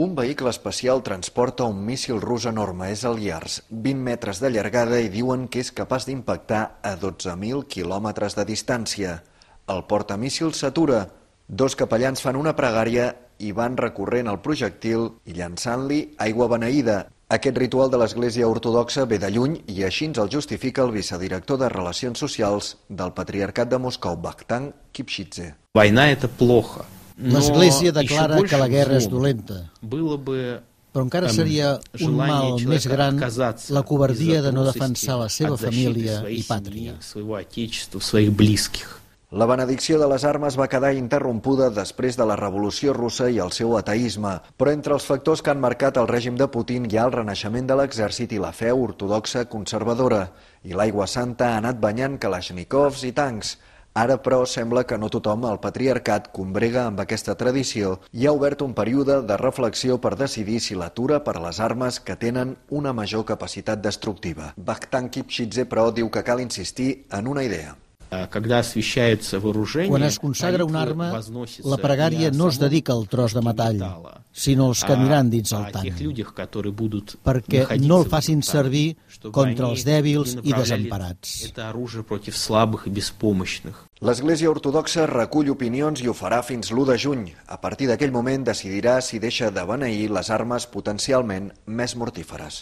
Un vehicle especial transporta un míssil rus enorme, és el Yars, 20 metres de llargada i diuen que és capaç d'impactar a 12.000 quilòmetres de distància. El portamíssil s'atura. Dos capellans fan una pregària i van recorrent el projectil i llançant-li aigua beneïda. Aquest ritual de l'Església Ortodoxa ve de lluny i així ens el justifica el vicedirector de Relacions Socials del Patriarcat de Moscou, Vakhtang Kipchidze. Война – это плохо. L'Església declara que la guerra és dolenta, però encara seria un mal més gran la covardia de no defensar la seva família i pàtria. La benedicció de les armes va quedar interrompuda després de la Revolució Russa i el seu ateisme, però entre els factors que han marcat el règim de Putin hi ha el renaixement de l'exèrcit i la fe ortodoxa conservadora, i l'aigua santa ha anat banyant kalashnikovs i tancs. Ara, però, sembla que no tothom al patriarcat combrega amb aquesta tradició i ha obert un període de reflexió per decidir si l'atura per a les armes que tenen una major capacitat destructiva. Vakhtang Kipchidze, però, diu que cal insistir en una idea. Quan es consagra una arma, la pregària no es dedica al tros de metall, sinó als que aniran dins el tanc, perquè no el facin servir contra els dèbils i desemparats. L'Església Ortodoxa recull opinions i ho farà fins l'1 de juny. A partir d'aquell moment decidirà si deixa de beneir les armes potencialment més mortíferes.